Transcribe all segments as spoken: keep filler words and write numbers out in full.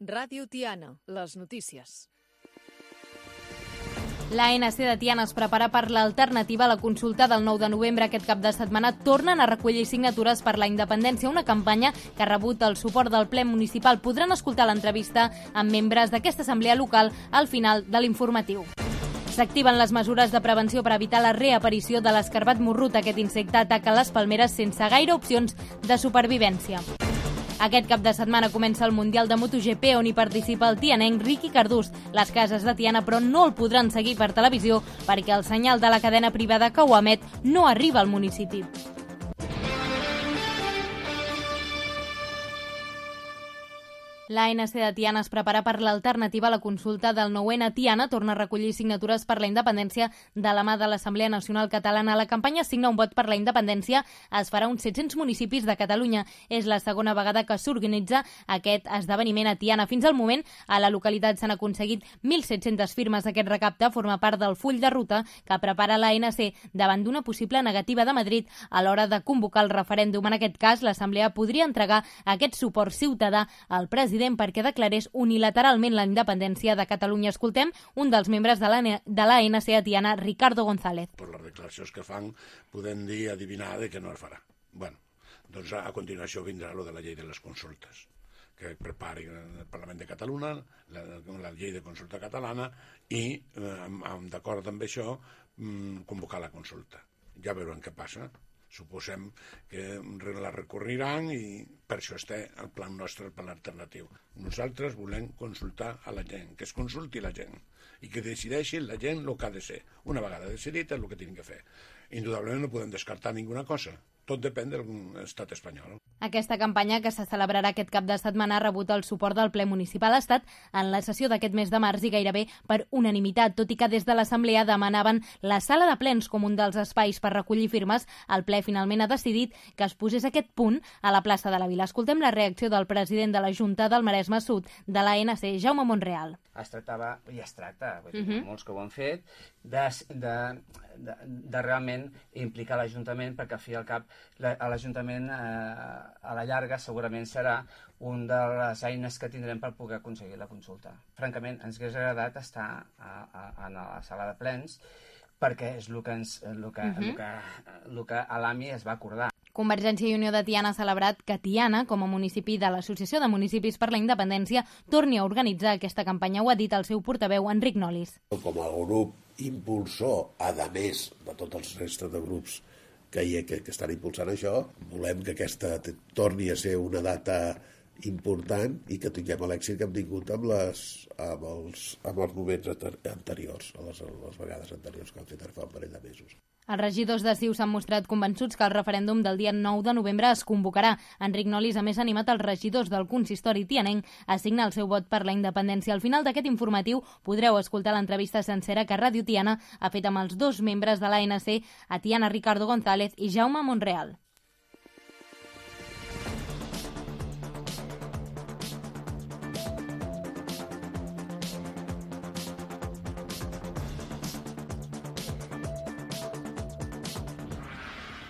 Ràdio Tiana, les notícies. L'A N C de Tiana es prepara per l'alternativa a la consulta del nou de novembre. Aquest cap de setmana tornen a recollir signatures per la independència, una campanya que ha rebut el suport del ple municipal. Podran escoltar l'entrevista amb membres d'aquesta assemblea local al final de l'informatiu. S'activen les mesures de prevenció per evitar la reaparició de l'escarbat morrut. Aquest insecte ataca les palmeres sense gaire opcions de supervivència. Aquest cap de setmana comença el Mundial de MotoGP, on hi participa el tianenc Riqui Cardús. Les cases de Tiana, però, no el podran seguir per televisió perquè el senyal de la cadena privada que ho emet no arriba al municipi. L'A N C de Tiana es prepara per l'alternativa a la consulta del nou N. Tiana torna a recollir signatures per la independència de la mà de l'Assemblea Nacional Catalana. La campanya Signa un vot per la independència es farà a uns set-cents municipis de Catalunya. És la segona vegada que s'organitza aquest esdeveniment a Tiana. Fins al moment, a la localitat s'han aconseguit mil set-centes firmes. Aquest recapte forma part del full de ruta que prepara l'A N C davant d'una possible negativa de Madrid a l'hora de convocar el referèndum. En aquest cas, l'Assemblea podria entregar aquest suport ciutadà al president perquè declarés unilateralment la independència de Catalunya. Escoltem un dels membres de l'A N C a Tiana, Ricardo González. Per les declaracions que fan, podem dir, adivinar de que no es farà. Bueno, doncs a continuació vindrà lo de la llei de les consultes, que prepari el Parlament de Catalunya, la, la llei de consulta catalana, i, eh, d'acord amb això, convocar la consulta. Ja veurem què passa. Suposem que la recorriran i per això està el pla nostre, el pla alternatiu. Nosaltres volem consultar a la gent, que es consulti la gent i que decideixi la gent el que ha de ser. Una vegada decidit és el que tenen que fer. Indudablement no podem descartar ninguna cosa. Tot depèn de l'estat espanyol. Aquesta campanya, que se celebrarà aquest cap de setmana, ha rebut el suport del ple municipal. Ha estat en la sessió d'aquest mes de març i gairebé per unanimitat, tot i que des de l'Assemblea demanaven la sala de plens com un dels espais per recollir firmes. El ple finalment ha decidit que es posés aquest punt a la plaça de la Vila. Escoltem la reacció del president de la Junta del Maresme Sud de l'A N C, Jaume Monreal. Es tractava, i es tracta, uh -huh. molts que ho han fet, de, de, de, de realment implicar l'Ajuntament, perquè al fi i al cap l'Ajuntament eh, a la llarga segurament serà una de les eines que tindrem per poder aconseguir la consulta. Francament, ens hauria agradat estar a, a, a la sala de plens perquè és el que, ens, el que, uh -huh. el que, el que a l'A M I es va acordar. Convergència i Unió de Tiana ha celebrat que Tiana, com a municipi de l'Associació de Municipis per la Independència, torni a organitzar aquesta campanya. Ho ha dit el seu portaveu, Enric Nolis. Com a grup impulsor, a més de tots els restes de grups que, hi ha, que, que estan impulsant això, volem que aquesta torni a ser una data important i que tinguem l'èxit que hem tingut amb, les, amb, els, amb els moments anteriors, a les, a les vegades anteriors que han fet fa un parell de mesos. Els regidors de C I U s'han mostrat convençuts que el referèndum del dia nou de novembre es convocarà. Enric Nolis, a més, ha animat els regidors del consistori tianenc a signar el seu vot per la independència. Al final d'aquest informatiu podreu escoltar l'entrevista sencera que Ràdio Tiana ha fet amb els dos membres de l'A N C a Tiana, Ricardo González i Jaume Monreal.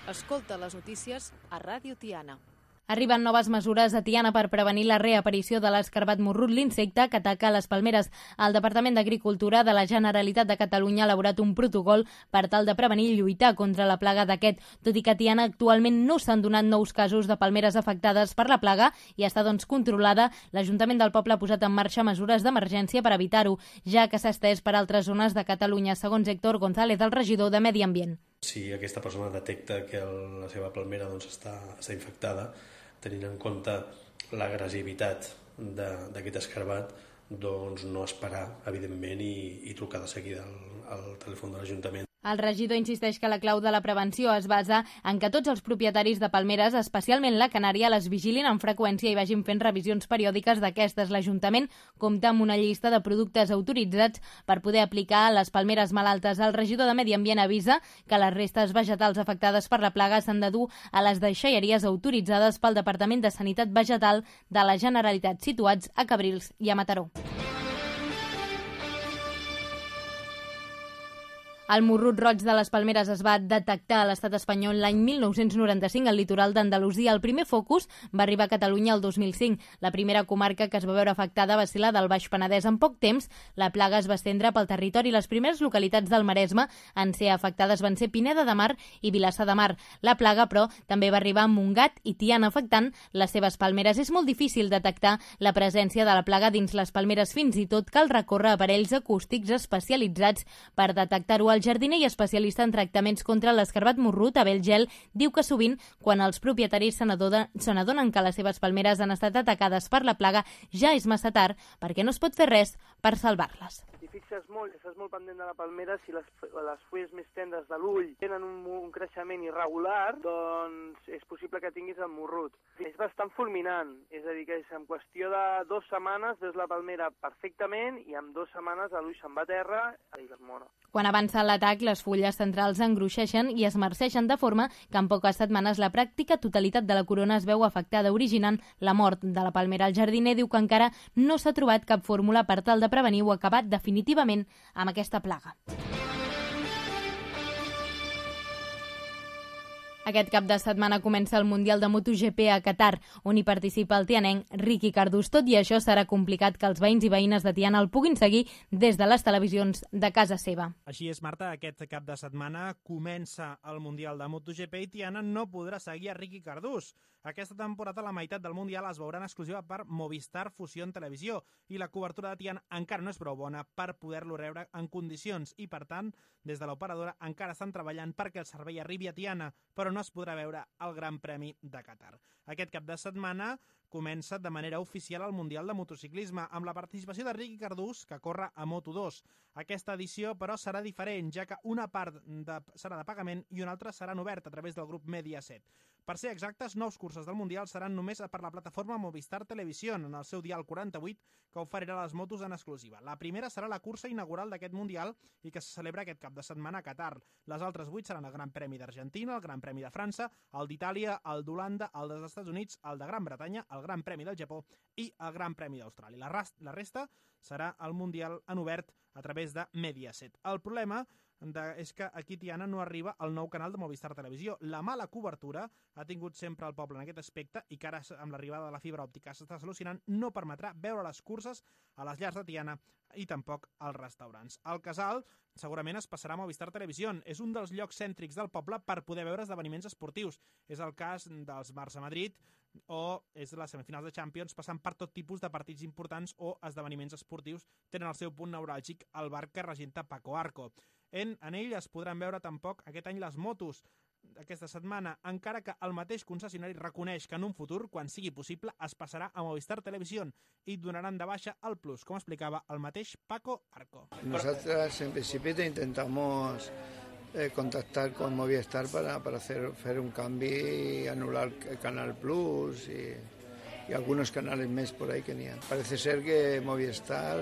Escolta les notícies a Ràdio Tiana. Arriben noves mesures a Tiana per prevenir la reaparició de l'escarbat morrut, l'insecte que ataca les palmeres. El Departament d'Agricultura de la Generalitat de Catalunya ha elaborat un protocol per tal de prevenir i lluitar contra la plaga d'aquest. Tot i que a Tiana actualment no s'han donat nous casos de palmeres afectades per la plaga i està doncs controlada, l'Ajuntament del poble ha posat en marxa mesures d'emergència per evitar-ho, ja que s'ha estès per altres zones de Catalunya, segons Héctor González, el regidor de Medi Ambient. Si aquesta persona detecta que el, la seva palmera doncs, està, està infectada, tenint en compte l'agressivitat d'aquest escarbat, doncs no esperar, evidentment, i, i trucar de seguida al, al telèfon de l'Ajuntament. El regidor insisteix que la clau de la prevenció es basa en que tots els propietaris de palmeres, especialment la canària, les vigilin amb freqüència i vagin fent revisions periòdiques d'aquestes. L'Ajuntament compta amb una llista de productes autoritzats per poder aplicar a les palmeres malaltes. El regidor de Medi Ambient avisa que les restes vegetals afectades per la plaga s'han de dur a les deixalleries autoritzades pel Departament de Sanitat Vegetal de la Generalitat, situats a Cabrils i a Mataró. El morrut roig de les palmeres es va detectar a l'estat espanyol l'any mil nou-cents noranta-cinc al litoral d'Andalusia. El primer focus va arribar a Catalunya el dos mil cinc. La primera comarca que es va veure afectada va ser la del Baix Penedès. En poc temps, la plaga es va estendre pel territori. Les primeres localitats del Maresme en ser afectades van ser Pineda de Mar i Vilassar de Mar. La plaga, però, també va arribar a Montgat i Tiana, afectant les seves palmeres. És molt difícil detectar la presència de la plaga dins les palmeres. Fins i tot cal recórrer a aparells acústics especialitzats per detectar-ho. El jardiner i especialista en tractaments contra l'escarbat morrut, Abel Gel, diu que sovint, quan els propietaris se n'adonen que les seves palmeres han estat atacades per la plaga, ja és massa tard perquè no es pot fer res per salvar-les. Si fixes molt, estàs molt pendent de la palmera, si les, les fulles més tendres de l'ull tenen un, un creixement irregular, doncs és possible que tinguis el morrut. És bastant fulminant, és a dir, que és en qüestió de dues setmanes veus la palmera perfectament i en dues setmanes l'ull se'n va a terra i es mor. Quan avança l'atac, les fulles centrals engruixeixen i es marceixen de forma que en poques setmanes la pràctica totalitat de la corona es veu afectada, originant la mort de la palmera. El jardiner diu que encara no s'ha trobat cap fórmula per tal de prevenir o acabar definitivament amb aquesta plaga. Aquest cap de setmana comença el Mundial de MotoGP a Qatar, on hi participa el tianenc Riqui Cardús. Tot i això, serà complicat que els veïns i veïnes de Tiana el puguin seguir des de les televisions de casa seva. Així és, Marta, aquest cap de setmana comença el Mundial de MotoGP i Tiana no podrà seguir a Riqui Cardús. Aquesta temporada la meitat del Mundial es veurà en exclusiva per Movistar Fusión Televisió i la cobertura de Tiana encara no és prou bona per poder-lo rebre en condicions i, per tant, des de l'operadora encara estan treballant perquè el servei arribi a Tiana, però no es podrà veure el Gran Premi de Qatar. Aquest cap de setmana comença de manera oficial el Mundial de Motociclisme, amb la participació de Riqui Cardús, que corre a Moto dos. Aquesta edició, però, serà diferent, ja que una part de, serà de pagament i una altra serà oberta a través del grup Mediaset. Per ser exactes, nous curses del Mundial seran només per la plataforma Movistar Televisió, en el seu dial quaranta-vuit, que oferirà les motos en exclusiva. La primera serà la cursa inaugural d'aquest Mundial i que se celebra aquest cap de setmana a Qatar. Les altres vuit seran el Gran Premi d'Argentina, el Gran Premi de França, el d'Itàlia, el d'Holanda, el dels Estats Units, el de Gran Bretanya, el Gran Premi del Japó i el Gran Premi d'Austràlia. La, la resta serà el Mundial en obert a través de Mediaset. El problema de, és que aquí Tiana no arriba al nou canal de Movistar Televisió. La mala cobertura ha tingut sempre el poble en aquest aspecte i que ara, amb l'arribada de la fibra òptica s'està solucionant, no permetrà veure les curses a les llars de Tiana i tampoc als restaurants. El casal segurament es passarà a Movistar Televisió. És un dels llocs cèntrics del poble per poder veure esdeveniments esportius. És el cas dels Barça-Madrid o és les semifinals de Champions, passant per tot tipus de partits importants o esdeveniments esportius. Tenen el seu punt neuràlgic al bar que regenta Paco Arco. En, en ell es podran veure tampoc aquest any les motos aquesta setmana, encara que el mateix concessionari reconeix que en un futur, quan sigui possible, es passarà a Movistar Televisió i donaran de baixa el Plus, com explicava el mateix Paco Arco. Nosotros en principio intentamos eh, contactar con Movistar para, para hacer, hacer un cambio y anular el Canal Plus y, y algunos canales más por ahí que n'hi ha. Parece ser que Movistar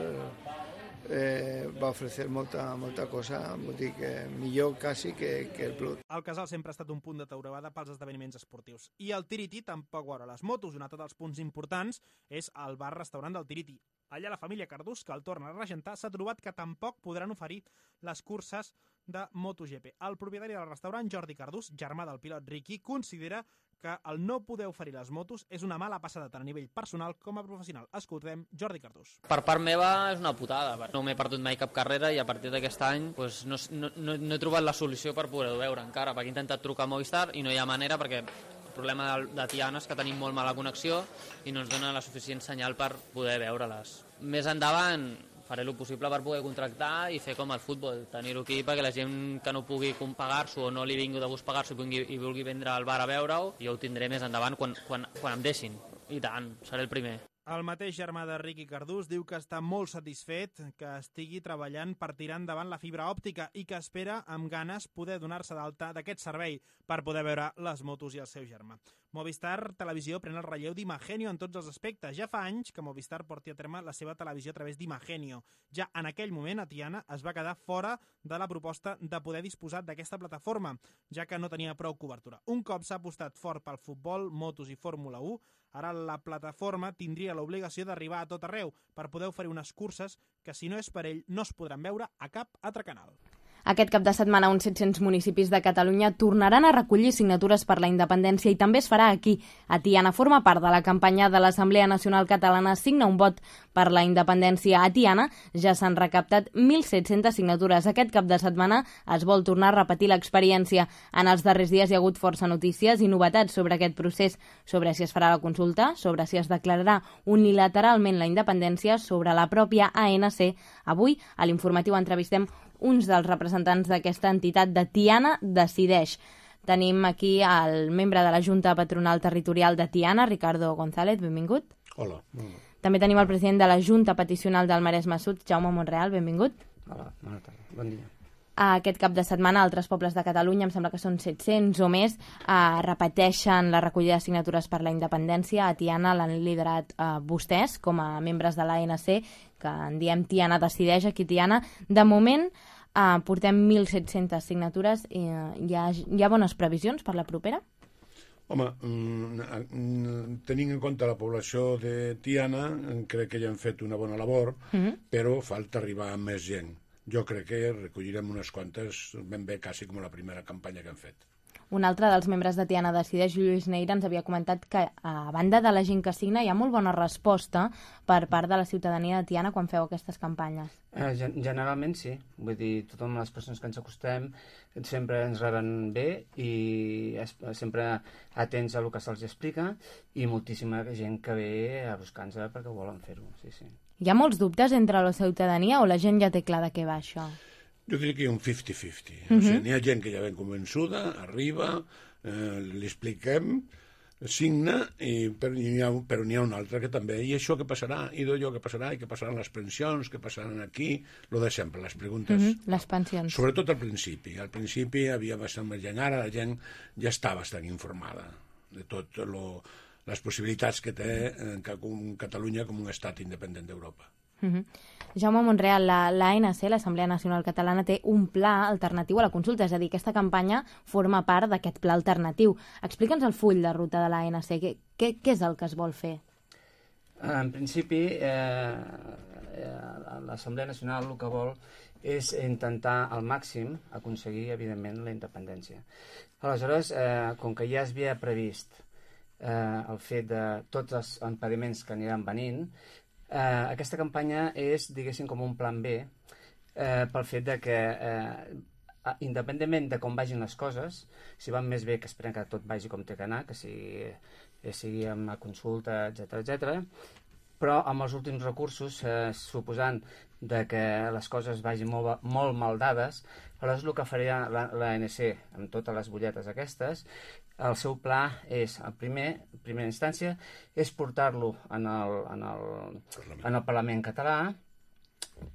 Eh, va ofrecer molta, molta cosa, vull dir que millor quasi que, que el Plus. El casal sempre ha estat un punt de taurevada pels esdeveniments esportius. I el Tiriti tampoc veurà les motos. Un altre dels punts importants és el bar-restaurant del Tiriti. Allà la família Cardús, que el torna a regentar, s'ha trobat que tampoc podran oferir les curses de MotoGP. El propietari del restaurant, Jordi Cardús, germà del pilot Riqui, considera que el no poder oferir les motos és una mala passada tant a nivell personal com a professional. Escoltem Jordi Cardús. Per part meva és una putada. No m'he perdut mai cap carrera i a partir d'aquest any pues, no, no, no, no he trobat la solució per poder-ho veure encara, perquè he intentat trucar a Movistar i no hi ha manera perquè el problema de, de Tiana és que tenim molt mala connexió i no ens dona la suficient senyal per poder veure-les. Més endavant faré el possible per poder contractar i fer com el futbol, tenir-ho aquí perquè la gent que no pugui pagar-s'ho o no li vingui de gust pagar-s'ho i, i vulgui vindre al bar a veure-ho, jo ho tindré més endavant quan, quan, quan em deixin. I tant, seré el primer. El mateix germà de Riqui Cardús diu que està molt satisfet que estigui treballant per tirar endavant la fibra òptica i que espera amb ganes poder donar-se d'alta d'aquest servei per poder veure les motos i el seu germà. Movistar Televisió pren el relleu d'Imagenio en tots els aspectes. Ja fa anys que Movistar porti a terme la seva televisió a través d'Imagenio. Ja en aquell moment a Tiana es va quedar fora de la proposta de poder disposar d'aquesta plataforma, ja que no tenia prou cobertura. Un cop s'ha apostat fort pel futbol, motos i Fórmula u, ara la plataforma tindria l'obligació d'arribar a tot arreu per poder oferir unes curses que, si no és per ell, no es podran veure a cap altre canal. Aquest cap de setmana, uns set-cents municipis de Catalunya tornaran a recollir signatures per la independència i també es farà aquí. A Tiana forma part de la campanya de l'Assemblea Nacional Catalana Signa un vot per la independència. A Tiana ja s'han recaptat mil set-centes signatures. Aquest cap de setmana es vol tornar a repetir l'experiència. En els darrers dies hi ha hagut força notícies i novetats sobre aquest procés, sobre si es farà la consulta, sobre si es declararà unilateralment la independència, sobre la pròpia A N C. Avui, a l'informatiu, entrevistem uns dels representants d'aquesta entitat de Tiana Decideix. Tenim aquí el membre de la Junta Patronal Territorial de Tiana, Ricardo González, benvingut. Hola. També tenim el president de la Junta Peticional del Maresme Sud, Jaume Montreal, benvingut. Hola, bona tarda, bon dia. Aquest cap de setmana, altres pobles de Catalunya, em sembla que són set-cents o més, eh, repeteixen la recollida de signatures per la independència. A Tiana l'han liderat eh, vostès, com a membres de l'A N C, que en diem Tiana Decideix, aquí Tiana. De moment, eh, portem mil set-centes signatures. I, eh, hi, ha, hi ha bones previsions per la propera? Home, mm, tenint en compte la població de Tiana, crec que ja han fet una bona labor, mm-hmm. però falta arribar a més gent. Jo crec que recollirem unes quantes, ben bé, quasi com la primera campanya que hem fet. Un altre dels membres de Tiana Decideix, Lluís Neira, ens havia comentat que, a banda de la gent que signa, hi ha molt bona resposta per part de la ciutadania de Tiana quan feu aquestes campanyes. Eh, generalment sí. Vull dir, totes les persones que ens acostem sempre ens reben bé i es, sempre atents a el que se'ls explica i moltíssima gent que ve a buscar-nos perquè volen fer-ho, sí, sí. Hi ha molts dubtes entre la ciutadania o la gent ja té clar de què va això? Jo diria que hi ha un cinquanta cinquanta. Uh-huh. O sigui, n'hi ha gent que ja ben convençuda, arriba, eh, li expliquem, signa, i, però n'hi ha, però n'hi ha un altre que també, i això què passarà, i d'allò què passarà, i què passaran les pensions, què passaran aquí, lo de sempre, les preguntes. Uh-huh. Les pensions. Sobretot al principi. Al principi havia bastant més gent, ara la gent ja està bastant informada de tot lo... les possibilitats que té eh, Catalunya com un estat independent d'Europa. Uh-huh. Jaume Montreal, la, la A N C, l'Assemblea Nacional Catalana, té un pla alternatiu a la consulta, és a dir, aquesta campanya forma part d'aquest pla alternatiu. Explica'ns el full de ruta de l'A N C, què, què, què és el que es vol fer? En principi, eh, eh, l'Assemblea Nacional el que vol és intentar al màxim aconseguir, evidentment, la independència. Aleshores, eh, com que ja es havia previst Eh, el fet de tots els impediments que aniran venint, eh, aquesta campanya és, diguéssim, com un plan B eh, pel fet de que eh, independentment de com vagin les coses, si van més bé, que esperem que tot vagi com té que anar, que sigui, que sigui amb la consulta, etcètera, etcètera, però amb els últims recursos, eh, suposant de que les coses vagin molt, molt mal dades, aleshores el que faria l'A N C amb totes les butlletes aquestes, el seu pla és, en primer, primera instància, és portar-lo en, el, en, el, en el Parlament català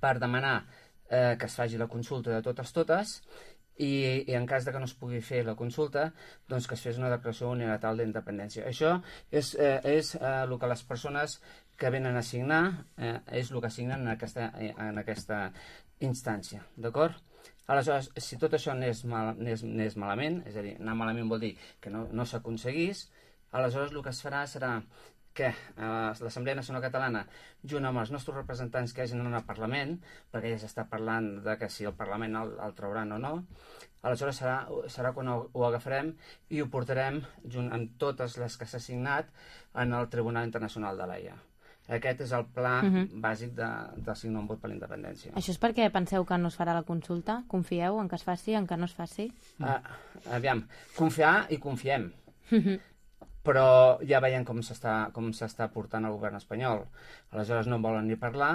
per demanar eh, que es faci la consulta de totes totes i, i en cas de que no es pugui fer la consulta, doncs que es fes una declaració unilateral d'independència. Això és, eh, és eh, el que les persones que venen a signar eh, és el que signen en aquesta, en aquesta instància, d'acord? Aleshores, si tot això anés, mal, anés, anés malament, és a dir, anar malament vol dir que no, no s'aconseguís, aleshores el que es farà serà que eh, l'Assemblea Nacional Catalana, junt amb els nostres representants que hagin anat al Parlament, perquè ja s'està parlant de que si el Parlament el, el trauran o no, aleshores serà, serà quan ho, ho agafarem i ho portarem, junt amb totes les que s'ha signat, en el Tribunal Internacional de l'Haia. Aquest és el pla uh-huh. bàsic de, de signar un vot per la independència. Això és perquè penseu que no es farà la consulta? Confieu en que es faci, en que no es faci? Uh, aviam, confiar i confiem. Uh-huh. Però ja veiem com s'està com s'està portant el govern espanyol. Aleshores no en volen ni parlar.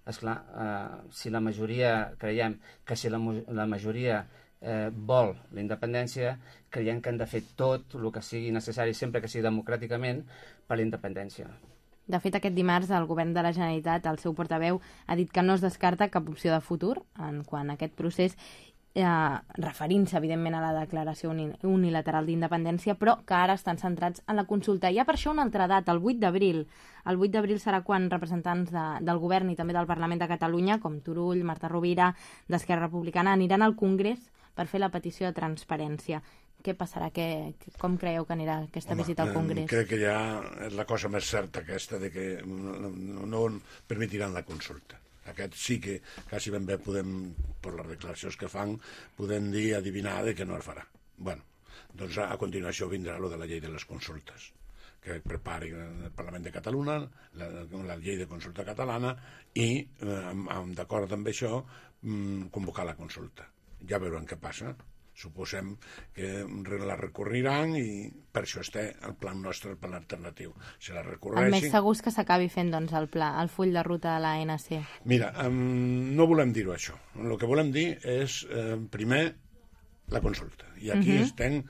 Esclar, uh, si la majoria, creiem que si la, la majoria eh, vol la independència, creiem que han de fer tot el que sigui necessari, sempre que sigui democràticament, per la independència. De fet, aquest dimarts el govern de la Generalitat, el seu portaveu, ha dit que no es descarta cap opció de futur en quant a aquest procés, eh, referint-se, evidentment, a la declaració unilateral d'independència, però que ara estan centrats en la consulta. Hi ha per això una altra data, el vuit d'abril. El vuit d'abril serà quan representants de, del govern i també del Parlament de Catalunya, com Turull, Marta Rovira, d'Esquerra Republicana, aniran al Congrés per fer la petició de transparència. Què passarà? Que, com creieu que anirà aquesta Home, visita al Congrés? Crec que ja és la cosa més certa aquesta de que no, no permetiran la consulta. Aquest sí que quasi ben bé podem, per les declaracions que fan, podem dir, adivinar de que no es farà. Bueno, doncs a continuació vindrà lo de la llei de les consultes, que prepari el Parlament de Catalunya, la, la llei de consulta catalana, i, eh, d'acord amb això, convocar la consulta. Ja veurem què passa. Suposem que la recorriran i per això està el pla nostre, el pla alternatiu. Si la recorreixin... El més segur és que s'acabi fent doncs, el pla, el full de ruta de l'A N C. Mira, um, no volem dir-ho això. El que volem dir és, eh, primer, la consulta. I aquí uh-huh. estem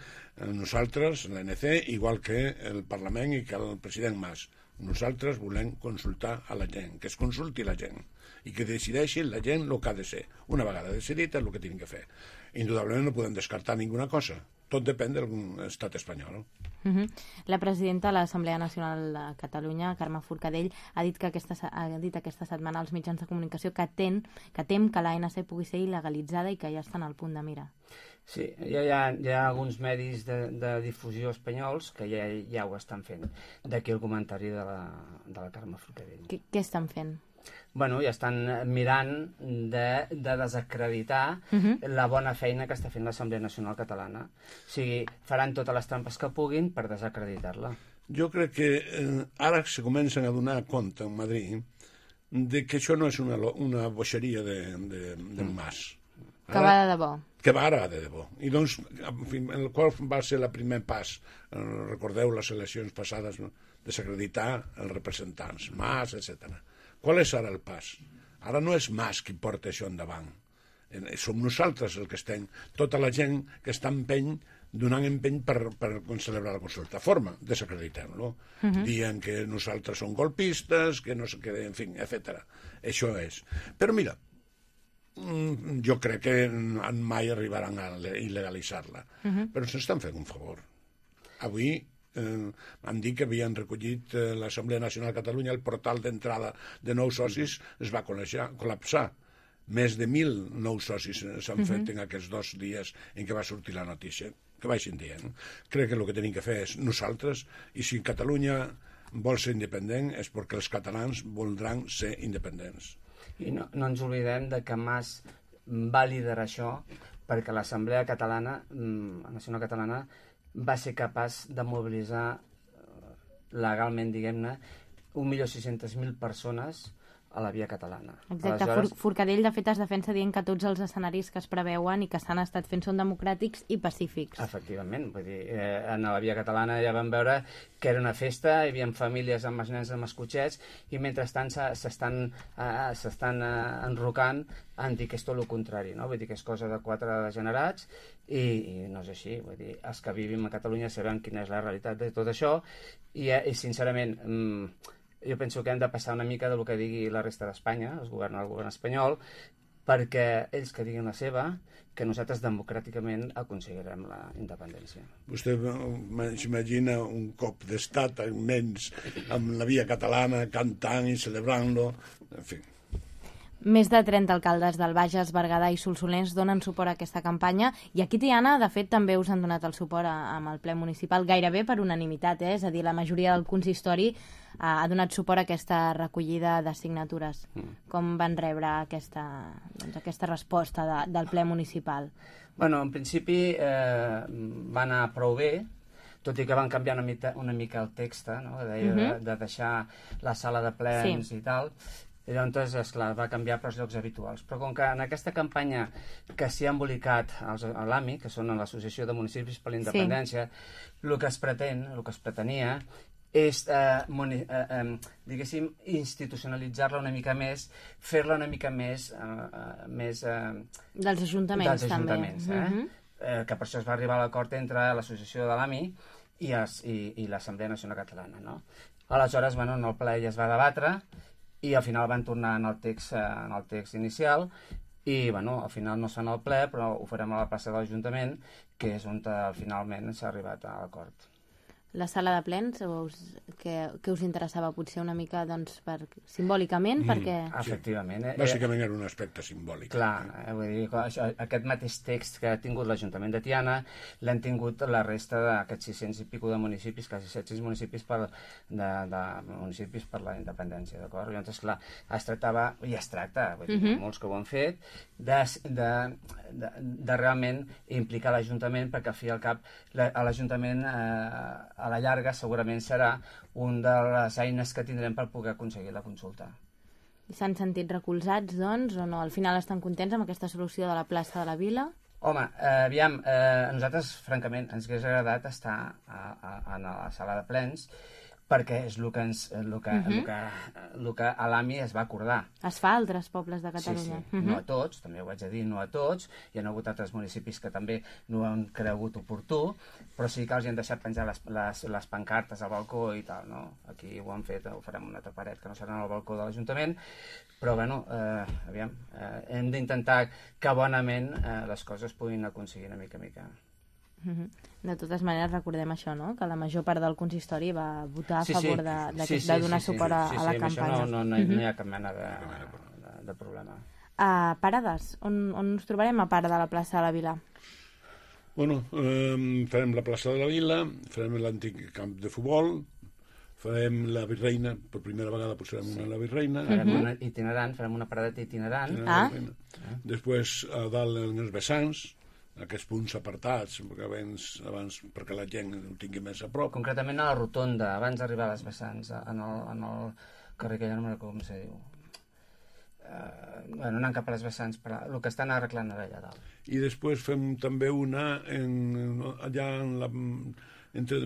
nosaltres, l'A N C, igual que el Parlament i que el president Mas. Nosaltres volem consultar a la gent, que es consulti la gent i que decideixi la gent el que ha de ser. Una vegada decidit és el que tenen que fer. Indudablement no podem descartar ninguna cosa. Tot depèn de l'estat espanyol. Uh-huh. La presidenta de l'Assemblea Nacional de Catalunya, Carme Forcadell, ha dit, que aquesta, ha dit aquesta setmana als mitjans de comunicació que tem que, tem que l'A N C pugui ser il·legalitzada i que ja estan al punt de mira. Sí, ja hi ha, hi ha alguns medis de, de difusió espanyols que ja, ja ho estan fent. D'aquí el comentari de la, de la Carme Forcadell. Què, què estan fent? Bueno, ja estan mirant de, de desacreditar uh-huh. la bona feina que està fent l'Assemblea Nacional Catalana. O sigui, faran totes les trampes que puguin per desacreditar-la. Jo crec que eh, ara se comencen a donar compte en Madrid de que això no és una, una boixeria de, de, del Mas. Ara, que va de debò. Que va ara de debò. I doncs, en fi, el qual va ser el primer pas, eh, recordeu les eleccions passades, no? Desacreditar els representants, Mas, etcètera. Qual és ara el pas? Ara no és Mas qui porta això endavant. Som nosaltres el que estem, tota la gent que està empeny, donant empeny per, per celebrar la consulta. Forma, desacreditem-lo. Uh-huh. Dient que nosaltres som golpistes, que no sé què, en fi, etcètera. Això és. Però mira, jo crec que mai arribaran a il·legalitzar-la. Uh-huh. Però s'estan fent un favor. Avui eh, han dit que havien recollit eh, l'Assemblea Nacional de Catalunya, el portal d'entrada de nous socis es va col·lapsar. Més de mil nous socis s'han uh-huh. fet en aquests dos dies en què va sortir la notícia. Que vagin dient. Crec que el que tenim que fer és nosaltres, i si Catalunya vol ser independent és perquè els catalans voldran ser independents. I no, no ens oblidem de que Mas va liderar això perquè l'Assemblea Catalana, Nacional Catalana, va ser capaç de mobilitzar legalment, diguem-ne, un milió sis-centes mil persones a la via catalana. Exacte, Aleshores... Forcadell de fet es defensa dient que tots els escenaris que es preveuen i que s'han estat fent són democràtics i pacífics. Efectivament, vull dir, eh, en la via catalana ja vam veure que era una festa, hi havia famílies amb els nens amb els cotxets i mentrestant s'estan eh, s'estan eh, enrocant en dir que és tot el contrari, no? Vull dir que és cosa de quatre degenerats i, i no és així, vull dir, els que vivim a Catalunya sabem quina és la realitat de tot això i, eh, i sincerament... Mm, jo penso que hem de passar una mica del que digui la resta d'Espanya, el govern, el govern espanyol, perquè ells que diguin la seva, que nosaltres democràticament aconseguirem la independència. Vostè s'imagina un cop d'estat immens amb la via catalana cantant i celebrant-lo, en fi... Més de trenta alcaldes del Bages, Berguedà i Solsonès donen suport a aquesta campanya i aquí, Tiana, de fet, també us han donat el suport a, amb el ple municipal gairebé per unanimitat, eh? És a dir, la majoria del consistori ha, ha donat suport a aquesta recollida de signatures. Mm. Com van rebre aquesta, doncs, aquesta resposta de, del ple municipal? Bueno, en principi eh, va anar prou bé, tot i que van canviar una mica, una mica el text, no? Deia, mm-hmm. de, de deixar la sala de plens sí. i tal... I llavors, esclar, va canviar per als llocs habituals. Però com que en aquesta campanya que s'hi ha embolicat els, a l'A M I, que són l'Associació de Municipis per la Independència, sí. el que es pretén, el que es pretenia, és, eh, moni, eh, eh, diguéssim, institucionalitzar-la una mica més, fer-la una mica més... Eh, més eh, dels ajuntaments, dels ajuntaments també. Eh? Mm-hmm. Eh, que per això es va arribar a l'acord entre l'Associació de l'A M I i, es, i, i l'Assemblea Nacional Catalana. No? Aleshores, bueno, en el ple ja es va debatre, i al final van tornar en el text, en el text inicial i bueno, al final no es fan al ple però ho farem a la plaça de l'Ajuntament que és on finalment s'ha arribat a l'acord. la sala de plens, us, que, que us interessava potser una mica doncs, per, simbòlicament, mm, perquè... Efectivament. Sí. Bàsicament era un aspecte simbòlic. Clar, eh, vull dir, això, aquest mateix text que ha tingut l'Ajuntament de Tiana l'han tingut la resta d'aquests sis-cents i pico de municipis, quasi set-cents municipis per, de, de municipis per la independència, d'acord? Llavors, clar, es tractava, i es tracta, vull dir, mm-hmm. molts que ho han fet, de, de, de, de realment implicar l'Ajuntament, perquè al fi i al cap l'Ajuntament eh, a la llarga segurament serà una de les eines que tindrem per poder aconseguir la consulta. S'han sentit recolzats, doncs, o no? Al final estan contents amb aquesta solució de la plaça de la Vila? Home, eh, aviam, eh, a nosaltres, francament, ens hauria agradat estar a, a, a la sala de plens, perquè és el que, ens, el que, uh-huh. el que, el que a l'A M I es va acordar. Es fa a altres pobles de Catalunya. Sí, sí. Uh-huh. No a tots, també ho haig de dir, no a tots. Hi ha hagut altres municipis que també no ho han cregut oportú, però sí que els hi han deixat penjar les, les, les pancartes al balcó i tal, no? Aquí ho han fet, ho farem una altra paret que no serà al balcó de l'Ajuntament, però, bueno, eh, aviam, eh, hem d'intentar que bonament eh, les coses puguin aconseguir una mica a mica. De totes maneres, recordem això, no? Que la major part del consistori va votar a sí, favor sí. de, de, sí, sí, de donar sí, sí, suport a, sí, sí, a la sí, campanya. No, no, no, no hi ha cap mena de, de, de problema. Uh, parades, on, on ens trobarem a part de la plaça de la Vila? Bueno, eh, farem la plaça de la Vila, farem l'antic camp de futbol, farem la Virreina, per primera vegada posarem sí. una a la Virreina. Farem uh-huh. una itinerant, farem una paradeta itinerant. Ah. Després, a dalt, en els vessants, aquests punts apartats, perquè abans, abans perquè la gent ho tingui més a prop. Concretament a la rotonda, abans d'arribar a les vessants, en el, en el carrer que ja no me recordo com se diu. Uh, bueno, anant cap a les vessants, però el que estan arreglant ara allà dalt. I després fem també una en, allà en la, entre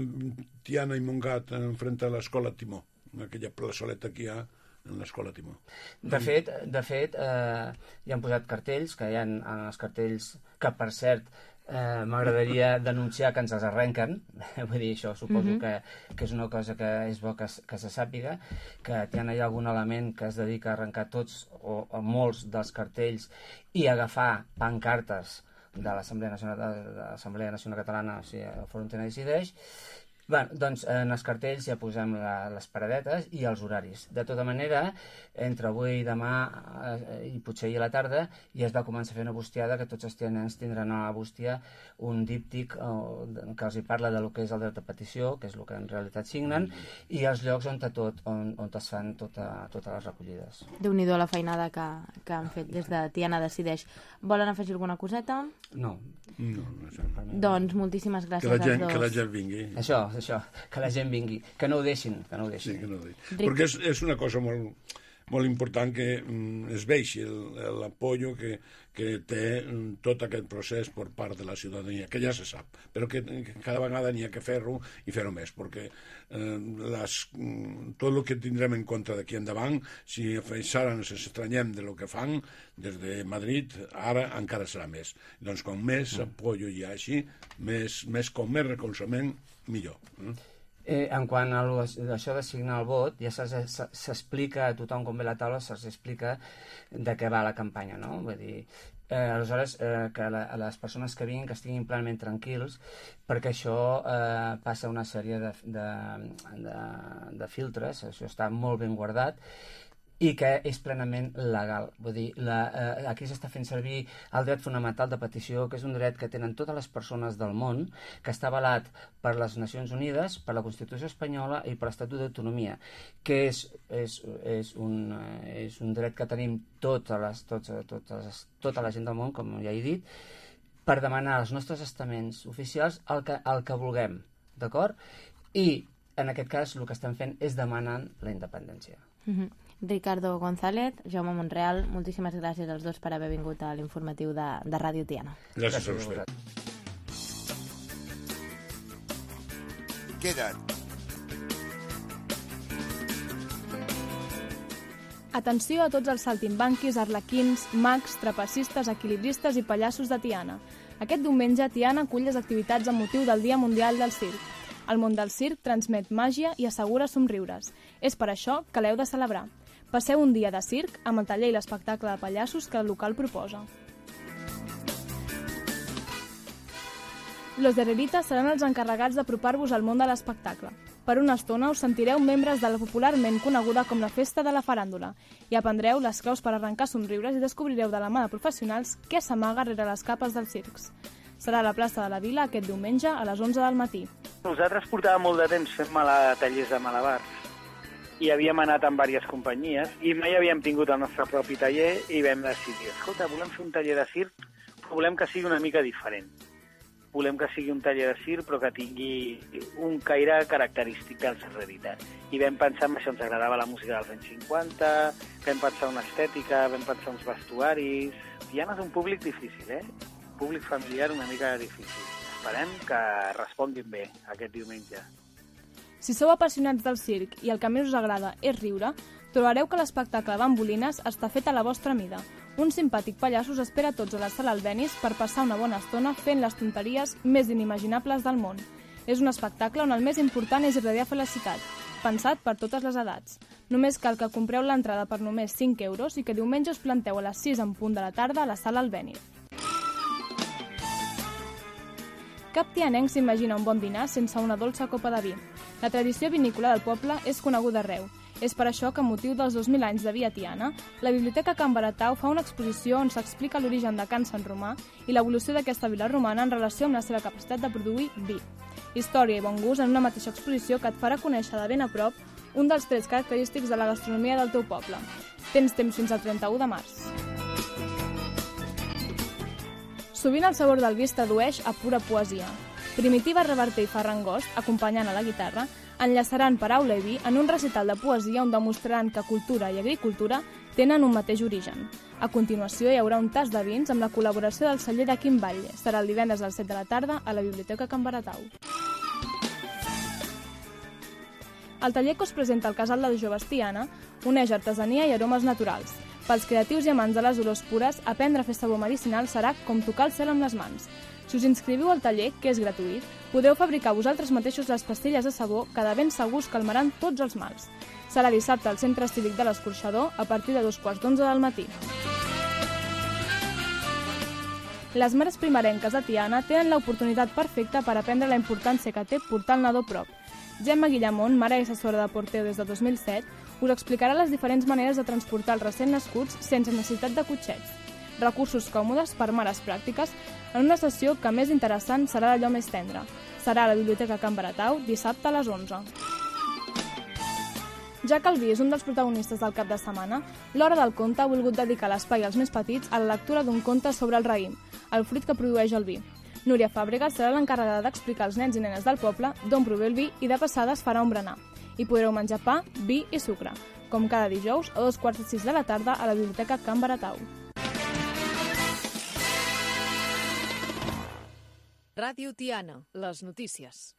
Tiana i Montgat, enfront a l'escola Timó, aquella plaçoleta que hi ha en l'escola Timó. De fet, de fet eh, hi han posat cartells, que hi ha en els cartells, que per cert eh, m'agradaria denunciar que ens els arrenquen, vull dir, això suposo mm-hmm. que, que és una cosa que és bo que, que se sàpiga, que hi ha algun element que es dedica a arrencar tots o, o molts dels cartells i agafar pancartes de l'Assemblea Nacional, de l'Assemblea Nacional Catalana, o sigui, el Fòrum Tiana Decideix. Bé, doncs en els cartells ja posem la, les paradetes i els horaris. De tota manera, entre avui i demà eh, i potser ahir a la tarda ja es va començar a fer una bustiada que tots els tianens tindran a la bústia un díptic eh, que els hi parla de lo que és el dret de petició, que és el que en realitat signen, i els llocs on, tot, on, on es fan tota, totes les recollides. Déu-n'hi-do la feinada que, que han fet des de Tiana Decideix. Volen afegir alguna coseta? No. No, no, doncs moltíssimes gràcies que la gent, als dos. Que la gent vingui. Això, això, que la gent vingui. Que no ho deixin, que no ho deixin. Sí, que no ho deixin. Perquè és, és una cosa molt, molt important que mm, es vegi l'apoyo que, que té mm, tot aquest procés per part de la ciutadania, que ja se sap, però que, que cada vegada n'hi ha que fer-ho i fer-ho més, perquè eh, les, mm, tot el que tindrem en compte d'aquí endavant, si ara ens estranyem de lo que fan des de Madrid, ara encara serà més. Doncs com més mm. apoyo hi ha així, més, més com més recolzament, millor. Mm? Eh, en quant a això de signar el vot, ja s'explica a tothom com ve la taula, se'ls explica de què va la campanya, no? Vull dir, eh, aleshores, eh, que la, les persones que vinguin que estiguin plenament tranquils, perquè això eh, passa una sèrie de, de, de, de filtres, això està molt ben guardat, i que és plenament legal. Vull dir, la, eh, aquí s'està fent servir el dret fonamental de petició, que és un dret que tenen totes les persones del món, que està avalat per les Nacions Unides, per la Constitució Espanyola i per l'Estatut d'Autonomia, que és, és, és, un, és un dret que tenim totes les, tots, totes, tota la gent del món, com ja he dit, per demanar als nostres estaments oficials el que, el que vulguem, d'acord? I, en aquest cas, el que estem fent és demanant la independència. Mm-hmm. Ricardo González, Jaume Monreal, moltíssimes gràcies als dos per haver vingut a l'informatiu de, de Ràdio Tiana. Gràcies a vostè. Queda't. Atenció a tots els saltimbanquis, arlequins, mags, trapecistes, equilibristes i pallassos de Tiana. Aquest diumenge Tiana acull les activitats amb motiu del Dia Mundial del Circ. El món del circ transmet màgia i assegura somriures. És per això que l'heu de celebrar. Passeu un dia de circ amb el taller i l'espectacle de pallassos que el local proposa. Los Derreritas seran els encarregats d'apropar-vos al món de l'espectacle. Per una estona us sentireu membres de la popularment coneguda com la Festa de la Faràndula i aprendreu les claus per arrencar somriures i descobrireu de la mà de professionals què s'amaga rere les capes dels circs. Serà a la plaça de la Vila aquest diumenge a les onze del matí. Nosaltres portàvem molt de temps fent mala tallers de malabars i havíem anat amb diverses companyies i mai havíem tingut el nostre propi taller i vam decidir, escolta, volem fer un taller de circ, però volem que sigui una mica diferent. Volem que sigui un taller de circ però que tingui un caire característic dels Derreritas. I vam pensar en això, ens agradava la música dels anys cinquanta, vam pensar una estètica, vam pensar uns vestuaris... Tiana és un públic difícil, eh? Un públic familiar una mica difícil. Esperem que responguin bé aquest diumenge. Si sou apassionats del circ i el que més us agrada és riure, trobareu que l'espectacle Bambolines està fet a la vostra mida. Un simpàtic pallasso us espera a tots a la sala Albéniz per passar una bona estona fent les tonteries més inimaginables del món. És un espectacle on el més important és irradiar felicitat, pensat per totes les edats. Només cal que compreu l'entrada per només cinc euros i que diumenge us planteu a les sis en punt de la tarda a la sala Albéniz. Cap tianenc s'imagina un bon dinar sense una dolça copa de vi. La tradició vinícola del poble és coneguda arreu. És per això que, amb motiu dels dos mil anys de vi a Tiana, la Biblioteca Can Baratau fa una exposició on s'explica l'origen de Can Sant Romà i l'evolució d'aquesta vila romana en relació amb la seva capacitat de produir vi. Història i bon gust en una mateixa exposició que et farà conèixer de ben a prop un dels trets característics de la gastronomia del teu poble. Tens temps fins al trenta-u de març. Sovint el sabor del vi es tradueix a pura poesia. Primitiva, Reverter i Ferran Gost, acompanyant a la guitarra, enllaçaran paraula i vi en un recital de poesia on demostraran que cultura i agricultura tenen un mateix origen. A continuació hi haurà un tas de vins amb la col·laboració del celler de Quim Batlle. Serà el divendres a les set de la tarda a la Biblioteca Can Baratau. El taller que us presenta el Casal de Joves Tiana uneix artesania i aromes naturals. Pels creatius i amants de les olors pures, aprendre a fer sabó medicinal serà com tocar el cel amb les mans. Si us inscriviu al taller, que és gratuït, podeu fabricar vosaltres mateixos les pastilles de sabó que de ben segurs calmaran tots els mals. Serà dissabte al Centre Cívic de l'Escorxador a partir de dos quarts d'onze del matí. Les mares primerenques de Tiana tenen l'oportunitat perfecta per aprendre la importància que té portar el nadó prop. Gemma Guillamont, mare i assessora de Porteu des de dos mil set, us explicarà les diferents maneres de transportar els recent nascuts sense necessitat de cotxets. Recursos còmodes per mares pràctiques en una sessió que més interessant serà d'allò més tendre. Serà a la Biblioteca Can Baratau dissabte a les onze. Ja que el vi és un dels protagonistes del cap de setmana, l'Hora del Conte ha volgut dedicar l'espai als més petits a la lectura d'un conte sobre el raïm, el fruit que produeix el vi. Núria Fàbregas serà l'encarregada d'explicar als nens i nenes del poble d'on prové el vi i de passada es farà un berenar. Hi podreu menjar pa, vi i sucre, com cada dijous a dos quarts de sis de la tarda a la Biblioteca Can Baratau. Ràdio Tiana, les notícies.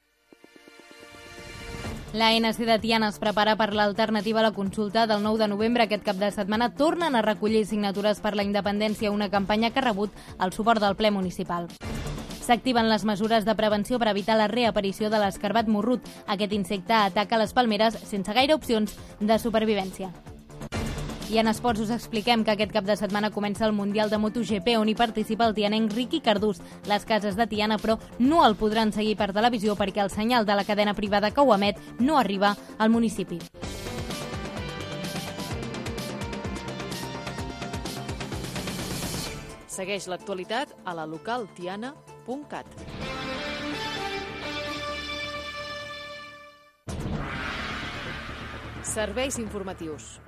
La N C de Tiana es prepara per l'alternativa a la consulta del nou de novembre. Aquest cap de setmana tornen a recollir signatures per la independència, una campanya que ha rebut el suport del ple municipal. S'activen les mesures de prevenció per evitar la reaparició de l'escarbat morrut. Aquest insecte ataca les palmeres sense gaire opcions de supervivència. I en esports us expliquem que aquest cap de setmana comença el Mundial de MotoGP, on hi participa el tianenc Riqui Cardús. Les cases de Tiana, però, no el podran seguir per televisió perquè el senyal de la cadena privada que ho emet no arriba al municipi. Segueix l'actualitat a la local tiana punt cat. Serveis informatius.